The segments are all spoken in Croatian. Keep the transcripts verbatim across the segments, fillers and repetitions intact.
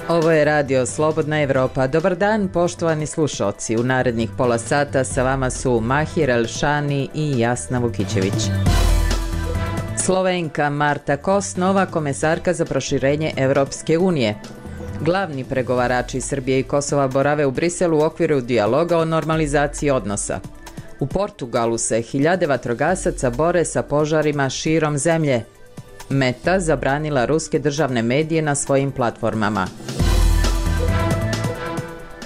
Ovo je radio Slobodna Evropa. Dobar dan, poštovani slušalci. U narednih pola sata sa vama su Mahir Elšani i Jasna Vukićević. Slovenka Marta Kos, nova komesarka za proširenje Evropske unije. Glavni pregovarači Srbije i Kosova borave u Briselu u okviru dijaloga o normalizaciji odnosa. U Portugalu se hiljade vatrogasaca bore sa požarima širom zemlje. Meta zabranila ruske državne medije na svojim platformama.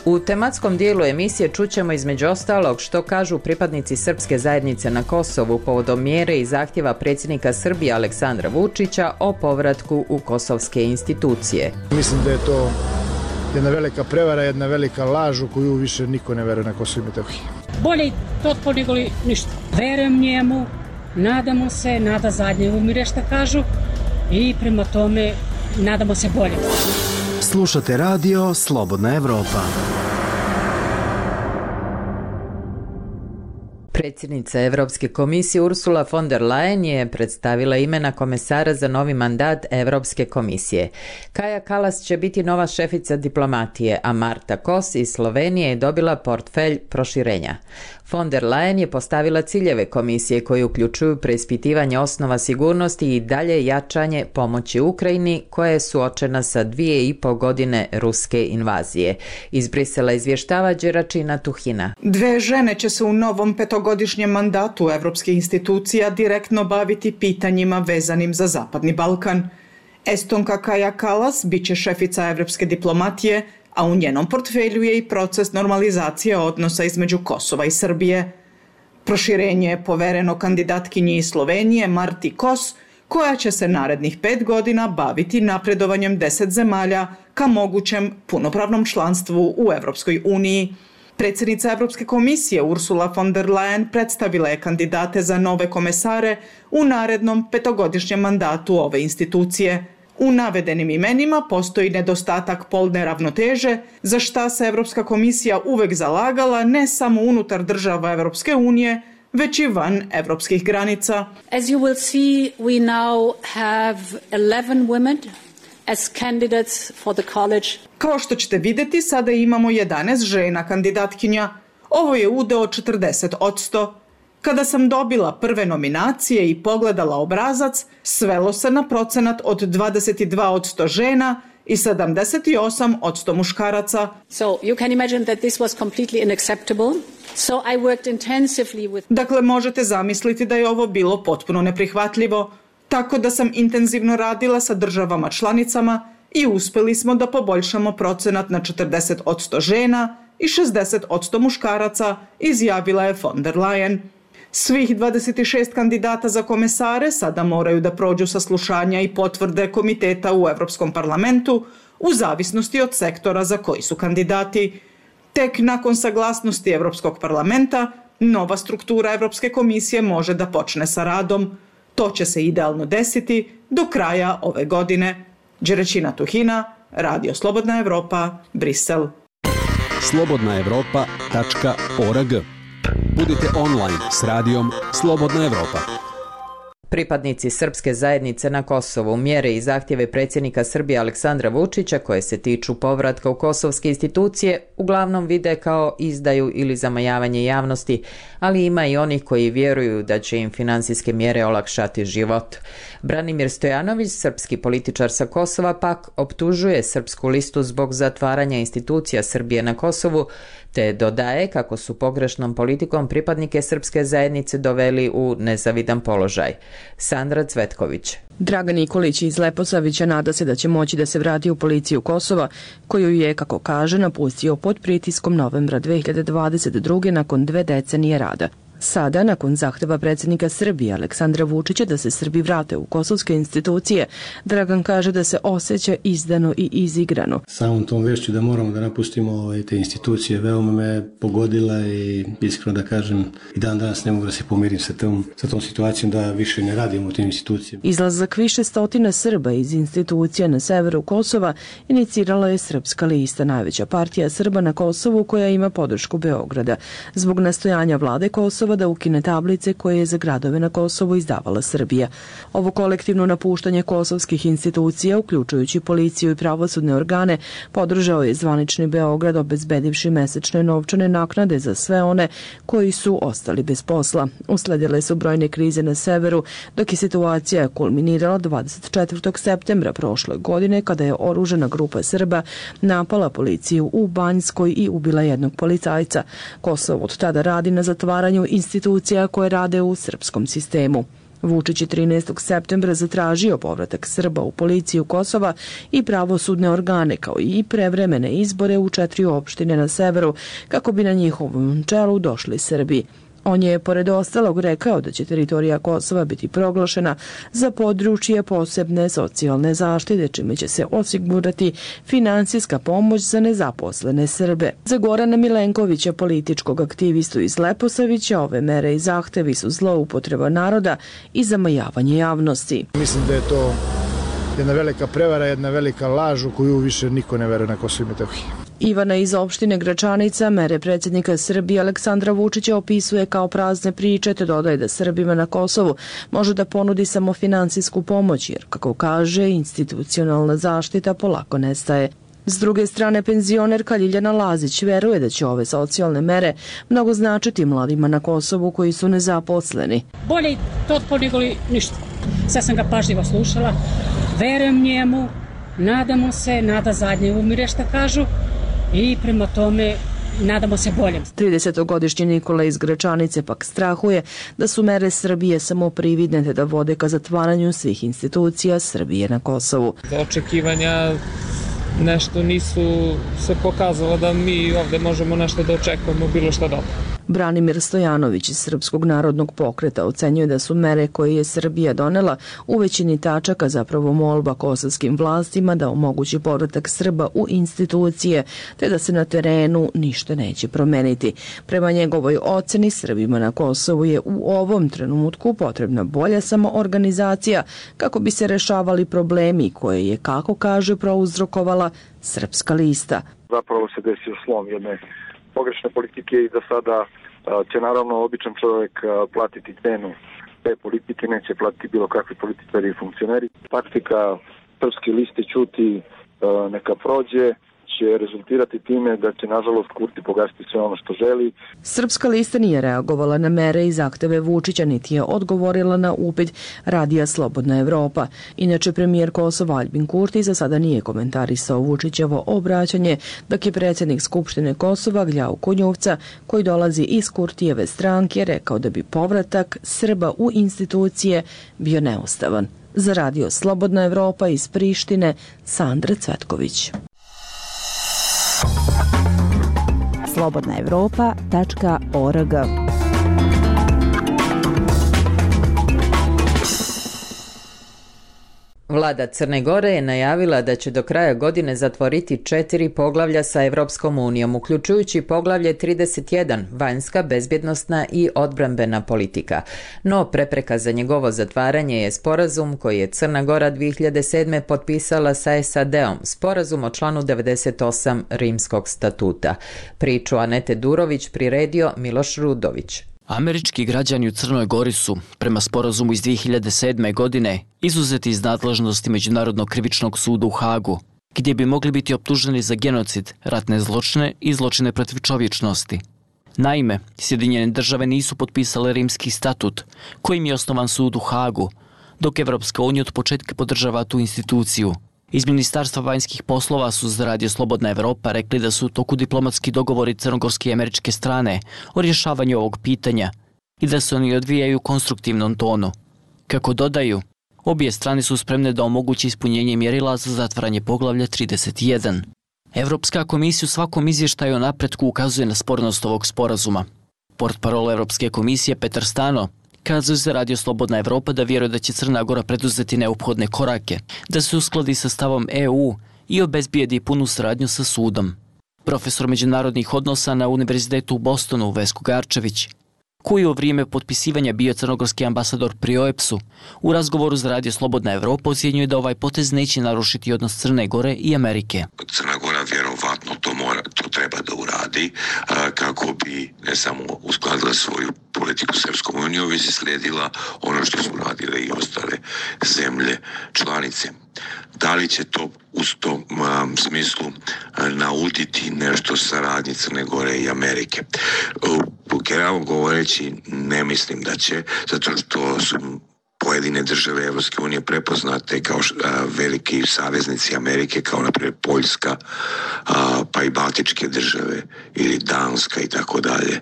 U tematskom dijelu emisije čućemo između ostalog što kažu pripadnici srpske zajednice na Kosovu povodom mjere i zahtjeva predsjednika Srbije Aleksandra Vučića o povratku u kosovske institucije. Mislim da je to jedna velika prevara, jedna velika laž u koju više niko ne veruje na Kosovo i Metohiji. Bolje to nego li ništa. Verujem njemu, nadamo se, nada zadnje umire šta kažu i prema tome nadamo se bolje. Slušate radio Slobodna Evropa. Predsjednica Evropske komisije Ursula von der Leyen je predstavila imena komesara za novi mandat Evropske komisije. Kaja Kallas će biti nova šefica diplomatije, a Marta Kos iz Slovenije je dobila portfelj proširenja. Von der Leyen je postavila ciljeve komisije koji uključuju preispitivanje osnova sigurnosti i dalje jačanje pomoći Ukrajini koja je suočena sa dvije i po godine ruske invazije. Iz Brisela izvještava Đeračina Tuhina. Dve žene će se u novom petogodišnjem mandatu evropskih institucija direktno baviti pitanjima vezanim za Zapadni Balkan. Estonka Kaja Kallas bit će šefica evropske diplomatije, a u njenom portfelju je i proces normalizacije odnosa između Kosova i Srbije. Proširenje je povereno kandidatkinji iz Slovenije Marti Kos, koja će se narednih pet godina baviti napredovanjem deset zemalja ka mogućem punopravnom članstvu u Evropskoj uniji. Predsjednica Evropske komisije Ursula von der Leyen predstavila je kandidate za nove komesare u narednom petogodišnjem mandatu ove institucije. U navedenim imenima postoji nedostatak polne ravnoteže, za šta se Evropska komisija uvek zalagala ne samo unutar država Evropske unije, već i van evropskih granica. As you will see, we now have eleven women as candidates for the college. Kao što ćete vidjeti, sada imamo jedanaest žena kandidatkinja. Ovo je udeo četrdeset posto. Kada sam dobila prve nominacije i pogledala obrazac, svelo se na procenat od dvadeset dva posto žena i sedamdeset osam posto muškaraca. So you can imagine that this was completely unacceptable. So I worked intensively with... Dakle, možete zamisliti da je ovo bilo potpuno neprihvatljivo, tako da sam intenzivno radila sa državama članicama i uspjeli smo da poboljšamo procenat na četrdeset posto žena i šezdeset posto muškaraca, izjavila je von der Leyen. Svih dvadeset šest kandidata za komesare sada moraju da prođu saslušanja i potvrde komiteta u Evropskom parlamentu u zavisnosti od sektora za koji su kandidati. Tek nakon saglasnosti Evropskog parlamenta, nova struktura Evropske komisije može da počne sa radom. To će se idealno desiti do kraja ove godine. Đeračina Tuhina, Radio Slobodna Evropa, Brisel. slobodna evropa tačka org. Budite online s radijom Slobodna Evropa. Pripadnici srpske zajednice na Kosovu mjere i zahtjeve predsjednika Srbije Aleksandra Vučića koje se tiču povratka u kosovske institucije uglavnom vide kao izdaju ili zamajavanje javnosti, ali ima i onih koji vjeruju da će im financijske mjere olakšati život. Branimir Stojanović, srpski političar sa Kosova, pak optužuje Srpsku listu zbog zatvaranja institucija Srbije na Kosovu, te dodaje kako su pogrešnom politikom pripadnike srpske zajednice doveli u nezavidan položaj. Sandra Cvetković. Dragan Nikolić iz Leposavića nada se da će moći da se vrati u policiju Kosova, koju je, kako kaže, napustio pod pritiskom novembra dve hiljade dvadeset druge nakon dve decenije rada. Sada, nakon zahteva predsjednika Srbije Aleksandra Vučića da se Srbi vrate u kosovske institucije, Dragan kaže da se osjeća izdano i izigrano. Samom tom vešću da moramo da napustimo ove, te institucije veoma me pogodila i iskreno da kažem i dan danas ne mogu da se pomirim sa tom, sa tom situacijom da više ne radimo u tim institucijama. Izlazak više stotina Srba iz institucija na severu Kosova inicirala je Srpska lista, najveća partija Srba na Kosovu koja ima podršku Beograda. Zbog nastojanja vlade Kosova Kosova da ukine tablice koje je za gradove na Kosovu izdavala Srbija. Ovo kolektivno napuštanje kosovskih institucija, uključujući policiju i pravosudne organe, podržao je zvanični Beograd, obezbedivši mesečne novčane naknade za sve one koji su ostali bez posla. Usledile su brojne krize na severu, dok je situacija kulminirala dvadeset četvrtog septembra prošle godine kada je oružana grupa Srba napala policiju u Banjskoj i ubila jednog policajca. Kosovo od tada radi na zatvaranju institucija koje rade u srpskom sistemu. Vučić je trinaestog septembra zatražio povratak Srba u policiju Kosova i pravosudne organe, kao i prevremene izbore u četiri opštine na severu, kako bi na njihovom čelu došli Srbi. On je, pored ostalog, rekao da će teritorija Kosova biti proglašena za područje posebne socijalne zaštite, čime će se osigurati finansijska pomoć za nezaposlene Srbe. Za Gorana Milenkovića, političkog aktivistu iz Leposavića, ove mere i zahtevi su zloupotreba naroda i zamajavanje javnosti. Mislim da je to jedna velika prevara, jedna velika laž u koju više niko ne veruje na Kosovo i Metohiji. Ivana iz opštine Gračanica mere predsjednika Srbije Aleksandra Vučića opisuje kao prazne priče, te dodaje da Srbima na Kosovu može da ponudi samo finansijsku pomoć, jer, kako kaže, institucionalna zaštita polako nestaje. S druge strane, penzionerka Ljiljana Lazić veruje da će ove socijalne mere mnogo značiti mladima na Kosovu koji su nezaposleni. Bolje to nego ništa. Sad sam ga pažljivo slušala, verujem njemu, nadamo se, nada zadnje umire, šta kažu, i prema tome nadamo se boljem. tridesetogodišnji Nikola iz Gračanice pak strahuje da su mere Srbije samo prividne te da vode ka zatvaranju svih institucija Srbije na Kosovu. Očekivanja nešto nisu se pokazalo da mi ovde možemo nešto da očekujemo bilo šta dobro. Branimir Stojanović iz Srpskog narodnog pokreta ocenjuje da su mere koje je Srbija donela u većini tačaka zapravo molba kosovskim vlastima da omogući povratak Srba u institucije, te da se na terenu ništa neće promeniti. Prema njegovoj oceni, Srbima na Kosovu je u ovom trenutku potrebna bolja samoorganizacija kako bi se rešavali problemi koje je, kako kaže, prouzrokovala Srpska lista. Zapravo se desio slom jedne pogrešne politike i da sada će naravno običan čovjek platiti cenu te politike, neće platiti bilo kakvi političari i funkcioneri. Taktika Srpske liste ćuti neka prođe će rezultirati time da će nažalost Kurti pogasiti sve ono što želi. Srpska lista nije reagovala na mere i zahteve Vučića, niti je odgovorila na upit Radija Slobodna Evropa. Inače, premijer Kosova Aljbin Kurti za sada nije komentarisao Vučićevo obraćanje, dok je predsjednik Skupštine Kosova Gljao Kunjuvca, koji dolazi iz Kurtijeve stranke, rekao da bi povratak Srba u institucije bio neustavan. Za Radio Slobodna Evropa iz Prištine, Sandra Cvetković. slobodna evropa tačka org. Vlada Crne Gore je najavila da će do kraja godine zatvoriti četiri poglavlja sa Evropskom unijom, uključujući poglavlje trideset jedan, vanjska, bezbjednosna i odbrambena politika. No, prepreka za njegovo zatvaranje je sporazum koji je Crna Gora dvije hiljade sedme. potpisala sa S A D-om, sporazum o članu devedeset osam Rimskog statuta. Priču Anete Durović priredio Miloš Rudović. Američki građani u Crnoj Gori su, prema sporazumu iz dvije hiljade sedme. godine, izuzeti iz nadležnosti Međunarodnog krivičnog suda u Hagu, gdje bi mogli biti optuženi za genocid, ratne zločine i zločine protiv čovječnosti. Naime, Sjedinjene države nisu potpisale Rimski statut, kojim je osnovan sud u Hagu, dok Evropska unija od početka podržava tu instituciju. Iz Ministarstva vanjskih poslova su za Radio Slobodna Evropa rekli da su u toku diplomatski dogovori crnogorske i američke strane o rješavanju ovog pitanja i da se oni odvijaju u konstruktivnom tonu. Kako dodaju, obje strane su spremne da omogući ispunjenje mjerila za zatvaranje poglavlja trideset jedan. Evropska komisija u svakom izvještaju o napretku ukazuje na spornost ovog sporazuma. Portparol Evropske komisije Petar Stano kazuje za Radio Slobodna Evropa da vjeruje da će Crna Gora preduzeti neophodne korake, da se uskladi sa stavom E U i obezbijedi punu saradnju sa sudom. Profesor međunarodnih odnosa na Univerzitetu u Bostonu Vesko Garčević, koji je u vrijeme potpisivanja bio crnogorski ambasador pri O E P S-u, u razgovoru za Radio Slobodna Evropa ocjenjuje da ovaj potez neće narušiti odnos Crne Gore i Amerike. Crna Gora vjerovatno to, mora, to treba da uradi. radi a, kako bi ne samo uskladila svoju politiku s Europskom unijom, već i slijedila ono što su radile i ostale zemlje članice. Da li će to u tom um, smislu uh, nauditi nešto saradnji Crne Gore i Amerike? U generalno govoreći ne mislim da će, zato što su pojedine države Evropske unije prepoznate kao š, a, veliki saveznici Amerike, kao na primjer Poljska, a, pa i Baltičke države ili Danska i tako dalje.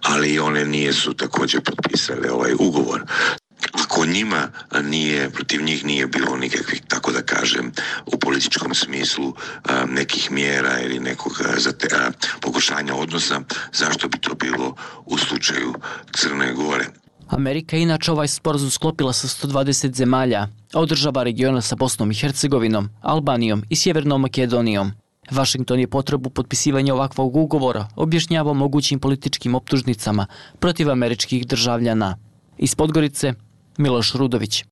Ali one nije su također potpisale ovaj ugovor. Ako njima nije, protiv njih nije bilo nikakvih, tako da kažem, u političkom smislu a, nekih mjera ili nekog zate, a, pokušanja odnosa, zašto bi to bilo u slučaju Crne Gore? Amerika je inače ovaj sporazum sklopila sa sto dvadeset zemalja, a održava regiona sa Bosnom i Hercegovinom, Albanijom i Sjevernom Makedonijom. Washington je potrebu potpisivanja ovakvog ugovora objašnjavao mogućim političkim optužnicama protiv američkih državljana. Iz Podgorice, Miloš Rudović.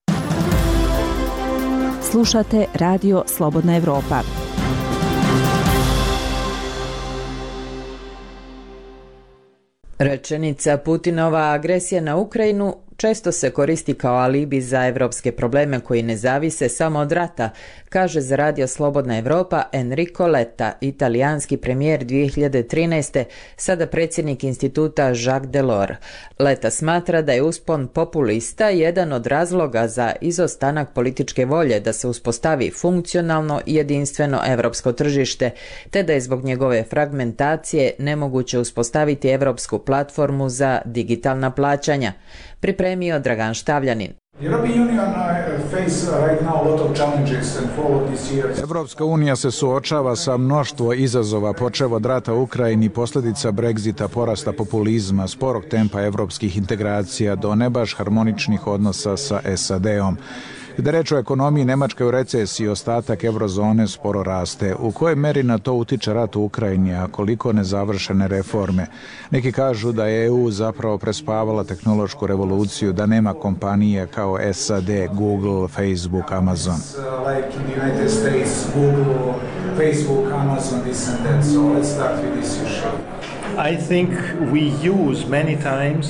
Slušate Radio Slobodna Evropa. Rečenica Putinova agresija na Ukrajinu često se koristi kao alibi za evropske probleme koji ne zavise samo od rata, kaže za Radio Slobodna Evropa Enrico Letta, italijanski premijer dvije hiljade trinaeste, sada predsjednik instituta Jacques Delors. Letta smatra da je uspon populista jedan od razloga za izostanak političke volje da se uspostavi funkcionalno i jedinstveno evropsko tržište, te da je zbog njegove fragmentacije nemoguće uspostaviti evropsku platformu za digitalna plaćanja. Pripremio Dragan Štavljanin. Evropska unija se suočava sa mnoštvo izazova, počev od rata u Ukrajini, posljedica Brexita, porasta populizma, sporog tempa evropskih integracija do ne baš harmoničnih odnosa sa S A D-om. Kada reč o ekonomiji, Nemačka je u recesiji, ostatak eurozone sporo raste. U kojoj meri na to utiče rat u Ukrajini, a koliko nezavršene reforme? Neki kažu da je E U zapravo prespavala tehnološku revoluciju, da nema kompanije kao S A D, Google, Facebook, Amazon. I think we use many times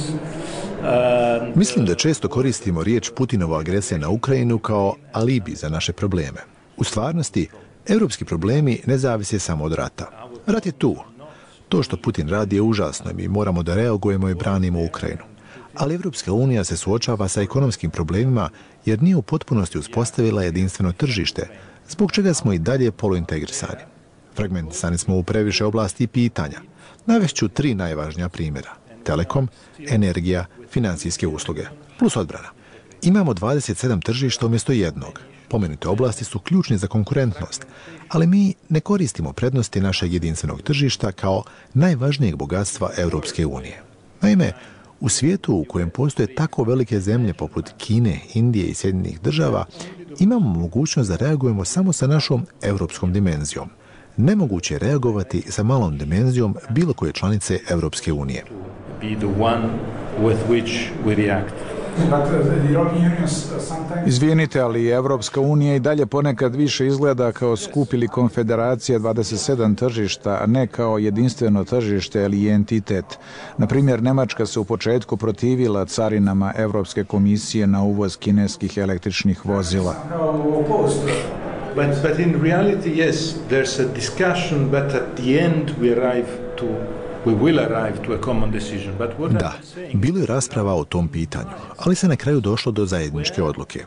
Mislim da često koristimo riječ Putinova agresija na Ukrajinu kao alibi za naše probleme. U stvarnosti, evropski problemi ne zavise samo od rata. Rat je tu. To što Putin radi je užasno i mi moramo da reagujemo i branimo Ukrajinu. Ali Evropska unija se suočava sa ekonomskim problemima jer nije u potpunosti uspostavila jedinstveno tržište, zbog čega smo i dalje poluintegrisani. Fragmentisani smo u previše oblasti i pitanja. Navešću tri najvažnija primjera. Telekom, energija, financijske usluge, plus odbrana. Imamo dvadeset sedam tržišta umjesto jednog. Pomenute oblasti su ključne za konkurentnost, ali mi ne koristimo prednosti našeg jedinstvenog tržišta kao najvažnijeg bogatstva Europske unije. Naime, u svijetu u kojem postoje tako velike zemlje poput Kine, Indije i Sjedinjenih država, imamo mogućnost da reagujemo samo sa našom europskom dimenzijom. Nemoguće je reagovati sa malom dimenzijom bilo koje članice Europske unije. Izvinite, ali Evropska unija i dalje ponekad više izgleda kao skup ili konfederacija dvadeset sedam tržišta, a ne kao jedinstveno tržište ili entitet. Na primjer, Nemačka se u početku protivila carinama Evropske komisije na uvoz kineskih električnih vozila. But, but in reality, yes, there's a discussion, but at the end we arrive to We will arrive to a common decision. But what da, bilo je rasprava o tom pitanju, ali se na kraju došlo do zajedničke odluke.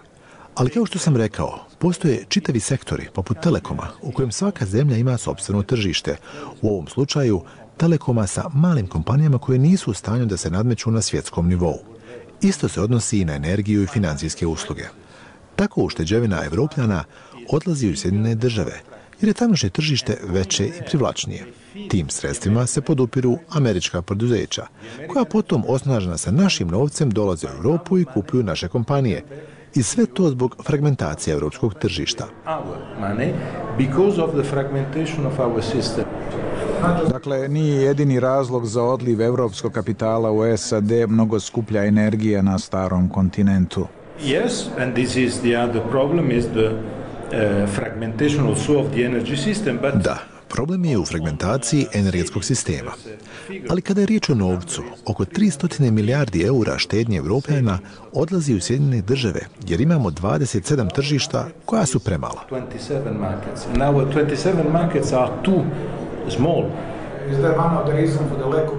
Ali kao što sam rekao, postoje čitavi sektori, poput Telekoma, u kojem svaka zemlja ima sopstveno tržište. U ovom slučaju, Telekoma sa malim kompanijama koje nisu u stanju da se nadmeću na svjetskom nivou. Isto se odnosi i na energiju i financijske usluge. Tako ušteđevina Evropljana odlazi u Sjedinjene države, jer je tamošnje tržište veće i privlačnije. Tim sredstvima se podupiru američka poduzeća, koja potom osnažena sa našim novcem dolaze u Europu i kupuju naše kompanije. I sve to zbog fragmentacije evropskog tržišta. Dakle, nije jedini razlog za odliv evropskog kapitala u S A D mnogo skuplja energija na starom kontinentu. Yes, and this is the other problem is the uh, fragmentation also of the energy system, but Da, Problem je u fragmentaciji energetskog sistema. Ali kada je riječ o novcu, oko tristo milijardi eura štednje Evropljana odlazi u Sjedinjene države, jer imamo dvadeset sedam tržišta koja su premala.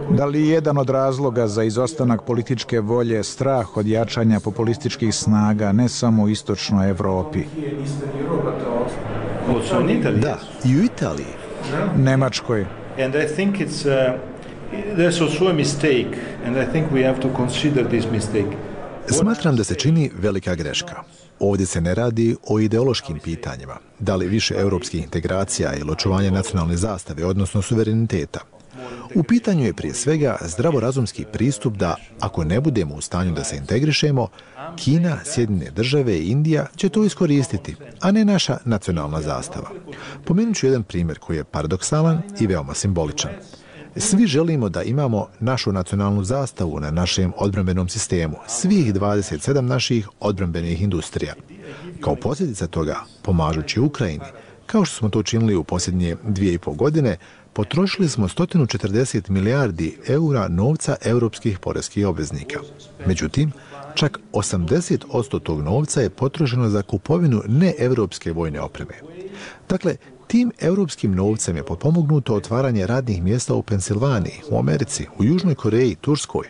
Da li je jedan od razloga za izostanak političke volje strah od jačanja populističkih snaga ne samo u istočnoj Evropi? Da, i u Italiji. Nemačkoj. And I think it's uh, there's also a mistake and I think we have to consider this mistake. Smatram da se čini velika greška. Ovdje se ne radi o ideološkim pitanjima, da li više europskih integracija ili očuvanje nacionalne zastave, odnosno suvereniteta. U pitanju je prije svega zdravorazumski pristup da, ako ne budemo u stanju da se integrišemo, Kina, Sjedinjene države i Indija će to iskoristiti, a ne naša nacionalna zastava. Pomenut ću jedan primjer koji je paradoksalan i veoma simboličan. Svi želimo da imamo našu nacionalnu zastavu na našem odbrambenom sistemu, svih dvadeset sedam naših odbrambenih industrija. Kao posljedica toga, pomažući Ukrajini, kao što smo to učinili u posljednje dvije i pol godine, potrošili smo sto četrdeset milijardi eura novca europskih poreskih obveznika. Međutim, čak osamdeset posto tog novca je potrošeno za kupovinu neevropske vojne opreme. Dakle, tim europskim novcem je potpomognuto otvaranje radnih mjesta u Pensilvaniji, u Americi, u Južnoj Koreji, Turskoj.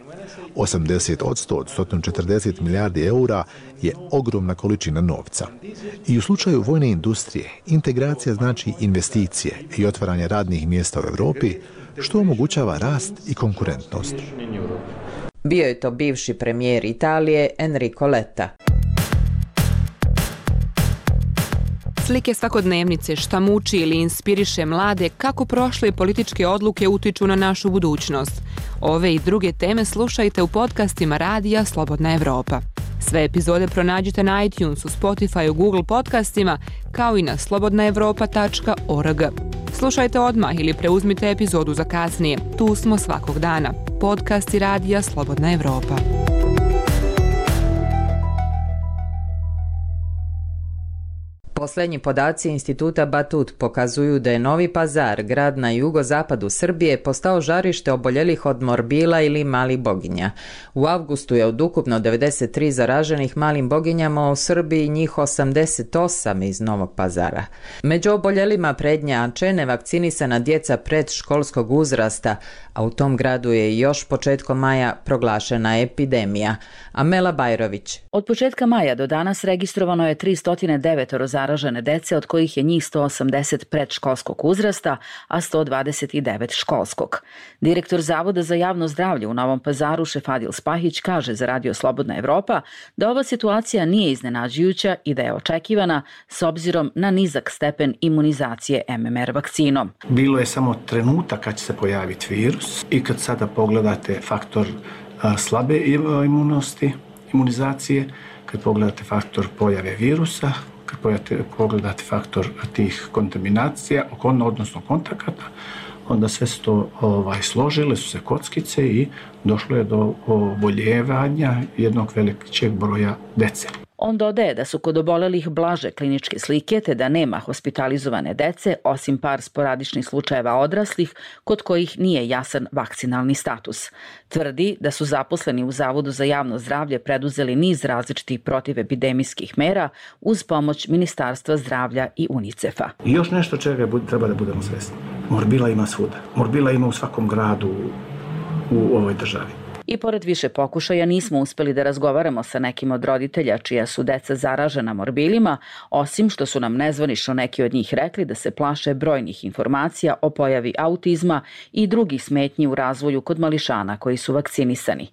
osamdeset posto od sto četrdeset milijardi eura je ogromna količina novca. I u slučaju vojne industrije, integracija znači investicije i otvaranje radnih mjesta u Europi, što omogućava rast i konkurentnost. Bio je to bivši premijer Italije Enrico Letta. Slike svakodnevnice šta muči ili inspiriše mlade kako prošle političke odluke utiču na našu budućnost. Ove i druge teme slušajte u podcastima Radija Slobodna Evropa. Sve epizode pronađite na iTunesu, Spotify, Google podcastima, kao i na slobodna evropa tačka org. Slušajte odmah ili preuzmite epizodu za kasnije. Tu smo svakog dana. Podcasti Radija Slobodna Evropa. Posljednji podaci Instituta Batut pokazuju da je Novi Pazar, grad na jugozapadu Srbije, postao žarište oboljelih od morbila ili malih boginja. U avgustu je od ukupno devedeset tri zaraženih malim boginjama u Srbiji njih osamdeset osam iz Novog Pazara. Među oboljelima prednjače nevakcinisana djeca predškolskog uzrasta, a u tom gradu je još početkom maja proglašena epidemija. Amela Bajrović. Od početka maja do danas registrovano je tristo devet zaražene dece, od kojih je njih sto osamdeset predškolskog uzrasta, a sto dvadeset devet školskog. Direktor Zavoda za javno zdravlje u Novom Pazaru Šefadil Spahić kaže za Radio Slobodna Evropa da ova situacija nije iznenađujuća i da je očekivana s obzirom na nizak stepen imunizacije em em er vakcinom. Bilo je samo trenutak kad će se pojaviti virus i kad sada pogledate faktor a, slabe imunosti, imunizacije, kad pogledate faktor pojave virusa, kad pogledate faktor tih kontaminacija, odnosno kontakata, onda sve su to ovaj, složile su se kockice i došlo je do oboljevanja jednog velikog broja dece. On dodaje da su kod obolelih blaže kliničke slike te da nema hospitalizovane dece, osim par sporadičnih slučajeva odraslih kod kojih nije jasan vakcinalni status. Tvrdi da su zaposleni u Zavodu za javno zdravlje preduzeli niz različitih protivepidemijskih mera uz pomoć Ministarstva zdravlja i UNICEF-a. I još nešto čega treba da budemo svesni. Morbila ima svuda. Morbila ima u svakom gradu u ovoj državi. I pored više pokušaja nismo uspeli da razgovaramo sa nekim od roditelja čija su deca zaražena morbilima, osim što su nam nezvanično neki od njih rekli da se plaše brojnih informacija o pojavi autizma i drugih smetnji u razvoju kod mališana koji su vakcinisani.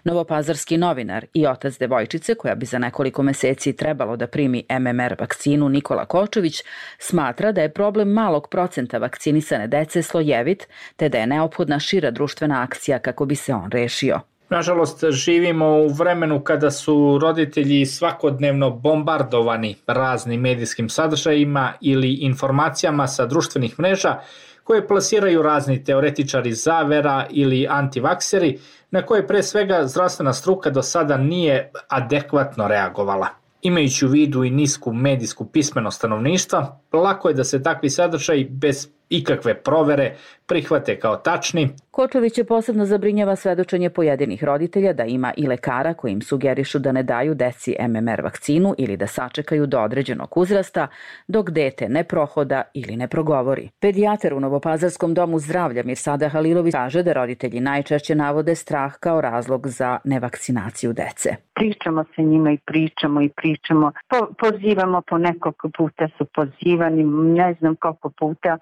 Novopazarski novinar i otac devojčice, koja bi za nekoliko meseci trebalo da primi em em er vakcinu, Nikola Kočević, smatra da je problem malog procenta vakcinisane dece slojevit, te da je neophodna šira društvena akcija kako bi se on rešio. Nažalost, živimo u vremenu kada su roditelji svakodnevno bombardovani raznim medijskim sadržajima ili informacijama sa društvenih mreža koje plasiraju razni teoretičari zavera ili antivakseri, na koje pre svega zdravstvena struka do sada nije adekvatno reagovala. Imajući u vidu i nisku medijsku pismenost stanovništva, lako je da se takvi sadržaji bez ikakve provere prihvate kao tačni. Kočovića posebno zabrinjava svedočenje pojedinih roditelja da ima i lekara koji im sugerišu da ne daju deci M M R vakcinu ili da sačekaju do određenog uzrasta dok dete ne prohoda ili ne progovori. Pedijatar u Novopazarskom domu zdravlja Mirsada Halilović kaže da roditelji najčešće navode strah kao razlog za nevakcinaciju dece. Pričamo sa njima i pričamo i pričamo. Po, pozivamo po nekoliko puta su pozivani, ne znam koliko puta.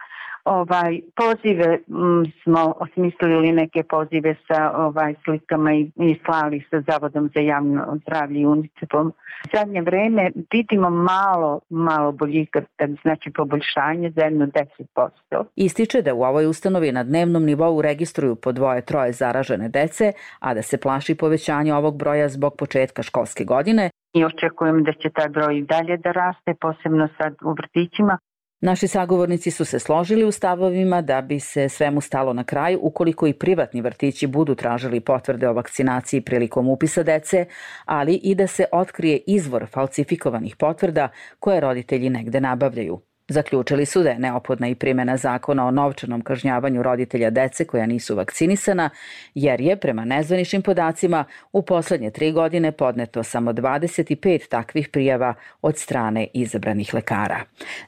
Ovaj, pozive m, smo osmislili neke pozive sa ovaj, slikama i, i slali sa Zavodom za javno zdravlje i UNICEF-om. U zadnje vreme vidimo malo, malo boljika, znači poboljšanje za jedno deset posto. Ističe da u ovoj ustanovi na dnevnom nivou registruju po dvoje, troje zaražene dece, a da se plaši povećanja ovog broja zbog početka školske godine. I očekujem da će taj broj dalje da raste, posebno sad u vrtićima. Naši sagovornici su se složili u stavovima da bi se svemu stalo na kraj ukoliko i privatni vrtići budu tražili potvrde o vakcinaciji prilikom upisa dece, ali i da se otkrije izvor falsifikovanih potvrda koje roditelji negde nabavljaju. Zaključili su da je neophodna i primjena zakona o novčanom kažnjavanju roditelja dece koja nisu vakcinisana, jer je, prema nezvaničnim podacima, u poslednje tri godine podneto samo dvadeset pet takvih prijava od strane izabranih lekara.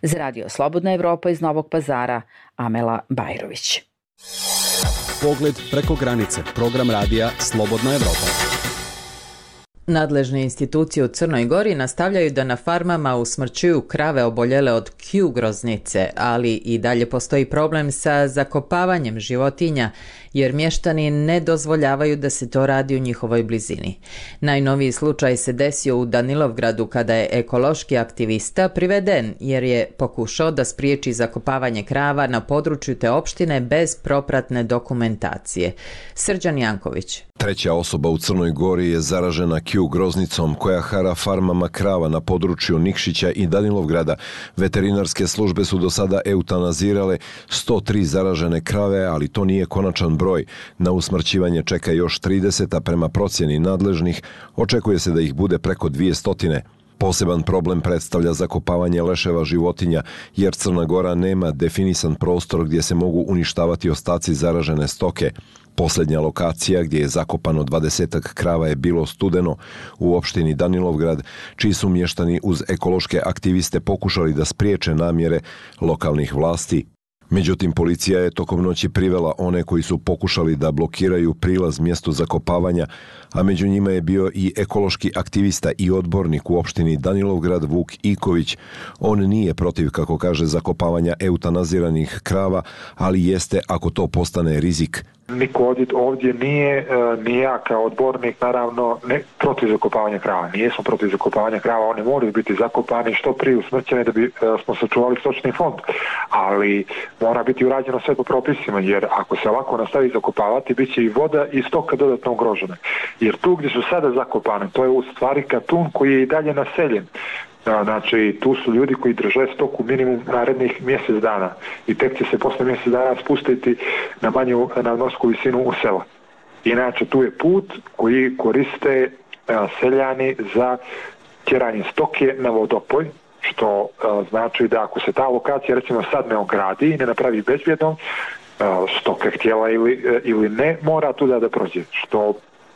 Za Radio Slobodna Evropa iz Novog Pazara, Amela Bajrović. Pogled preko granice, program radija Slobodna Evropa. Nadležne institucije u Crnoj Gori nastavljaju da na farmama usmrćuju krave oboljele od Q groznice, ali i dalje postoji problem sa zakopavanjem životinja, jer mještani ne dozvoljavaju da se to radi u njihovoj blizini. Najnoviji slučaj se desio u Danilovgradu kada je ekološki aktivista priveden jer je pokušao da spriječi zakopavanje krava na području te opštine bez propratne dokumentacije. Srđan Janković. Treća osoba u Crnoj Gori je zaražena Q groznicom koja hara farmama krava na području Nikšića i Danilovgrada. Veterinarske službe su do sada eutanazirale sto tri zaražene krave, ali to nije konačan broj. Na usmrćivanje čeka još trideset, a prema procjeni nadležnih očekuje se da ih bude preko dvjesto. Poseban problem predstavlja zakopavanje leševa životinja, jer Crna Gora nema definisan prostor gdje se mogu uništavati ostaci zaražene stoke. Posljednja lokacija gdje je zakopano dvadesetak krava je bilo Studeno u opštini Danilovgrad, čiji su mještani uz ekološke aktiviste pokušali da spriječe namjere lokalnih vlasti. Međutim, policija je tokom noći privela one koji su pokušali da blokiraju prilaz mjestu zakopavanja, a među njima je bio i ekološki aktivista i odbornik u opštini Danilovgrad Vuk Iković. On nije protiv, kako kaže, zakopavanja eutanaziranih krava, ali jeste ako to postane rizik. Niko ovdje nije, ni ja kao odbornik, naravno, ne protiv zakopavanja krava. Nijesmo protiv zakopavanja krava, oni moraju biti zakopani što prije usmrćene da bi smo sačuvali stočni fond. Ali mora biti urađeno sve po propisima, jer ako se ovako nastavi zakopavati, bit će i voda i stoka dodatno ugrožene. Jer tu gdje su sada zakopane, to je u stvari katun koji je i dalje naseljen. Znači, tu su ljudi koji drže stoku minimum narednih mjesec dana i tek će se posle mjesec dana spustiti na manju nadmorsku visinu u sela. Inače, tu je put koji koriste a, seljani za tjeranje stoke na vodopoj, što a, znači da ako se ta lokacija recimo sad ne ogradi i ne napravi bezbjednom, stoka htjela ili, ili ne, mora tu da, da prođe, što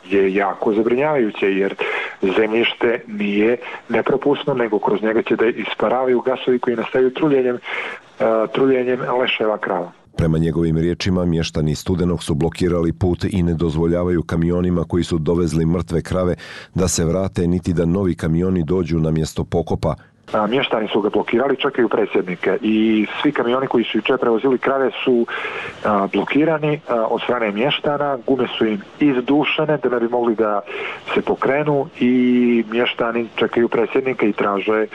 je jako zabrinjavajuće, jer zemljište nije nepropusno, nego kroz njega će da isparavaju gasovi koji nastaju truljenjem, uh, truljenjem leševa krava. Prema njegovim riječima, mještani Studenog su blokirali put i ne dozvoljavaju kamionima koji su dovezli mrtve krave da se vrate, niti da novi kamioni dođu na mjesto pokopa. A, mještani su ga blokirali, čekaju predsjednike i svi kamioni koji su jučer prevozili krave su a, blokirani a, od strane mještana, gume su im izdušene da ne bi mogli da se pokrenu i mještani čekaju predsjednika i traže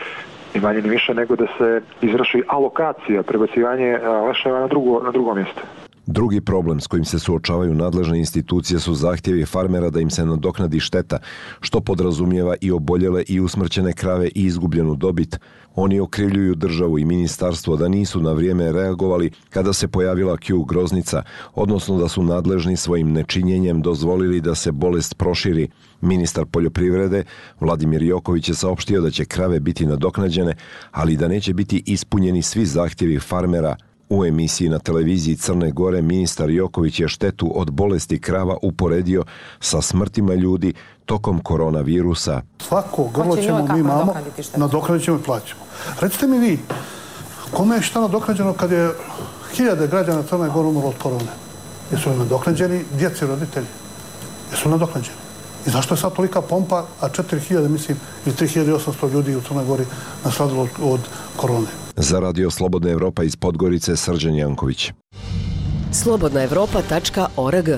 ni manje ni više nego da se izvrši alokacija, prebacivanje leševa na drugo, na drugo mjesto. Drugi problem s kojim se suočavaju nadležne institucije su zahtjevi farmera da im se nadoknadi šteta, što podrazumijeva i oboljele i usmrćene krave i izgubljenu dobit. Oni okrivljuju državu i ministarstvo da nisu na vrijeme reagovali kada se pojavila Q groznica, odnosno da su nadležni svojim nečinjenjem dozvolili da se bolest proširi. Ministar poljoprivrede Vladimir Joković je saopštio da će krave biti nadoknađene, ali da neće biti ispunjeni svi zahtjevi farmera. U emisiji na televiziji Crne Gore ministar Joković je štetu od bolesti krava uporedio sa smrtima ljudi tokom koronavirusa. Svako grlo ćemo mi imamo, nadoknadit ćemo i plaćamo. Recite mi vi, kome je šta nadoknađeno kad je hiljade građana Crne Gore umrlo od korone? Jesu li nadoknađeni djeci roditelji? Jesu li nadoknađeni? I zašto je sad tolika pompa, a četiri hiljade, mislim, i tri hiljade osamsto ljudi u Crnoj Gori nastradilo od korone? Za Radio Slobodna Evropa iz Podgorice, Srđan Janković. slobodna evropa tačka org.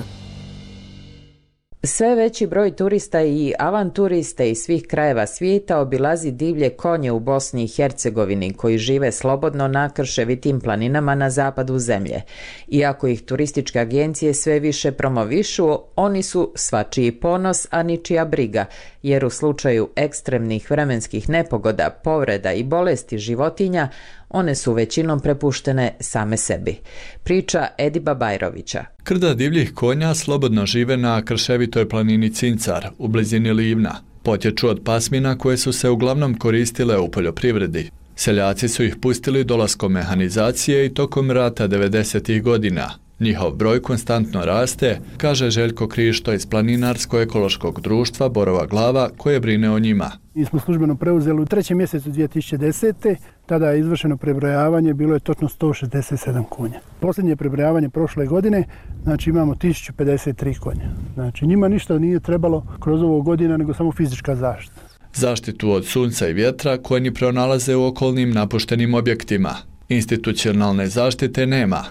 Sve veći broj turista i avanturista iz svih krajeva svijeta obilazi divlje konje u Bosni i Hercegovini koji žive slobodno na krševitim planinama na zapadu zemlje. Iako ih turističke agencije sve više promovišu, oni su svačiji ponos, a ničija briga, jer u slučaju ekstremnih vremenskih nepogoda, povreda i bolesti životinja, one su većinom prepuštene same sebi. Priča Ediba Bajrovića. Krda divljih konja slobodno žive na krševitoj planini Cincar u blizini Livna. Potječu od pasmina koje su se uglavnom koristile u poljoprivredi. Seljaci su ih pustili dolaskom mehanizacije i tokom rata devedesetih godina. Njihov broj konstantno raste, kaže Željko Krišto iz Planinarsko-ekološkog društva Borova Glava koje brine o njima. Mi smo službeno preuzeli u trećem mjesecu dvije tisuće desete. Tada je izvršeno prebrojavanje, bilo je točno sto šezdeset sedam konja. Posljednje prebrojavanje prošle godine, znači imamo tisuću pedeset tri konja. Znači njima ništa nije trebalo kroz ovo godina, nego samo fizička zaštita. Zaštitu od sunca i vjetra konji pronalaze u okolnim napuštenim objektima. Institucionalne zaštite nema.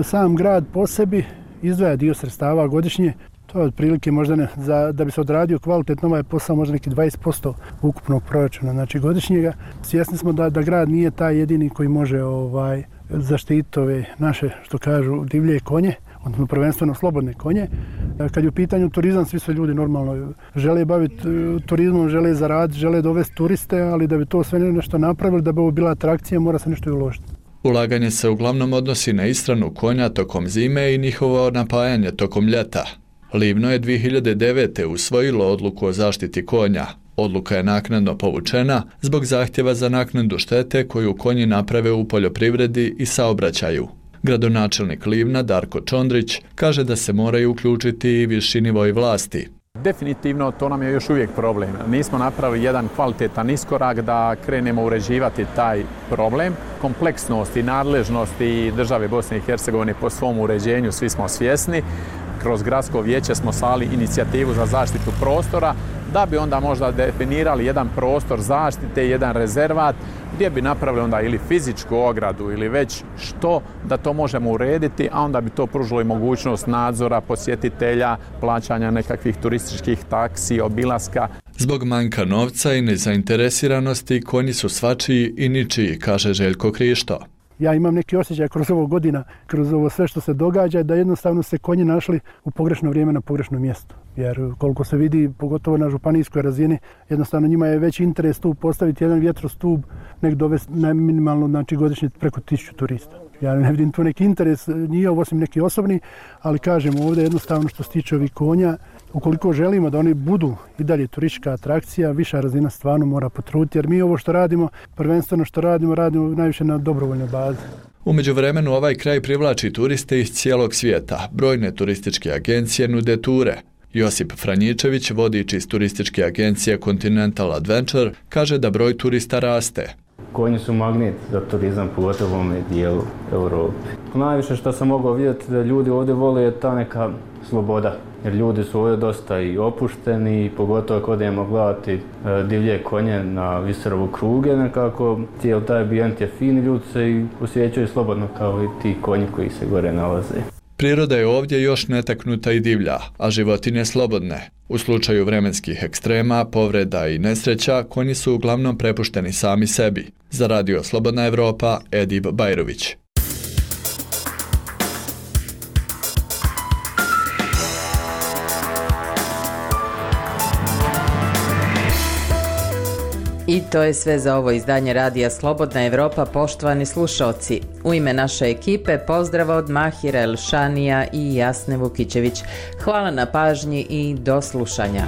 Sam grad po sebi izdvaja dio sredstava godišnje. To je otprilike možda ne, za, da bi se odradio kvalitetno ovaj posao možda neki dvadeset posto ukupnog proračuna, znači godišnjega. Svjesni smo da, da grad nije taj jedini koji može ovaj, zaštiti ove naše, što kažu, divlje konje, odnosno prvenstveno slobodne konje. Kad je u pitanju turizam, svi su ljudi normalno žele baviti turizmom, žele zaraditi, žele dovesti turiste, ali da bi to sve nešto napravili, da bi ovo bila atrakcija, mora se nešto i uložiti. Ulaganje se uglavnom odnosi na ishranu konja tokom zime i njihovo napajanje tokom ljeta. Livno je dvije hiljade devete. usvojilo odluku o zaštiti konja. Odluka je naknadno povučena zbog zahtjeva za naknadu štete koju konji naprave u poljoprivredi i saobraćaju. Gradonačelnik Livna Darko Čondrić kaže da se moraju uključiti i viši nivoi vlasti. Definitivno to nam je još uvijek problem. Nismo napravili jedan kvalitetan iskorak da krenemo uređivati taj problem. Kompleksnost i nadležnost i države Bosne i Hercegovine po svom uređenju svi smo svjesni. Kroz gradsko vijeće smo slali inicijativu za zaštitu prostora da bi onda možda definirali jedan prostor zaštite, jedan rezervat gdje bi napravili onda ili fizičku ogradu ili već što da to možemo urediti, a onda bi to pružilo i mogućnost nadzora posjetitelja, plaćanja nekakvih turističkih taksi, obilaska. Zbog manjka novca i nezainteresiranosti konji su svačiji i ničiji, kaže Željko Krišto. Ja imam neki osjećaj kroz ovo godina, kroz ovo sve što se događa, da jednostavno se konji našli u pogrešno vrijeme na pogrešnom mjestu. Jer koliko se vidi, pogotovo na županijskoj razini, jednostavno njima je veći interes tu postaviti jedan vjetrostup, nek dovesti na minimalno, znači godišnje preko tisuću turista. Ja ne vidim tu neki interes nije osim neki osobni, ali kažem ovdje jednostavno što se tiče ovih konja, ukoliko želimo da oni budu i dalje turistička atrakcija, viša razina stvarno mora potruditi, jer mi ovo što radimo, prvenstveno što radimo, radimo najviše na dobrovoljnoj bazi. U međuvremenu ovaj kraj privlači turiste iz cijelog svijeta. Brojne turističke agencije nude ture. Josip Franjičević, vodič iz turističke agencije Continental Adventure, kaže da broj turista raste. Konji su magnet za turizam, pogotovo u ovome dijelu Europe. Najviše što sam mogao vidjeti da ljudi ovdje vole je ta neka sloboda. Jer ljudi su ovdje dosta i opušteni, pogotovo ako odemo gledati divlje konje na Viserovu kruge, nekako cijel taj ambijent je fin, ljudi se i osjećaju slobodno kao i ti konji koji se gore nalaze. Priroda je ovdje još netaknuta i divlja, a životinje slobodne. U slučaju vremenskih ekstrema, povreda i nesreća, konji su uglavnom prepušteni sami sebi. Za Radio Slobodna Evropa, Edib Bajrović. I to je sve za ovo izdanje Radija Slobodna Evropa, poštovani slušaoci. U ime naše ekipe pozdrav od Mahira Elšanija i Jasne Vukićević. Hvala na pažnji i do slušanja.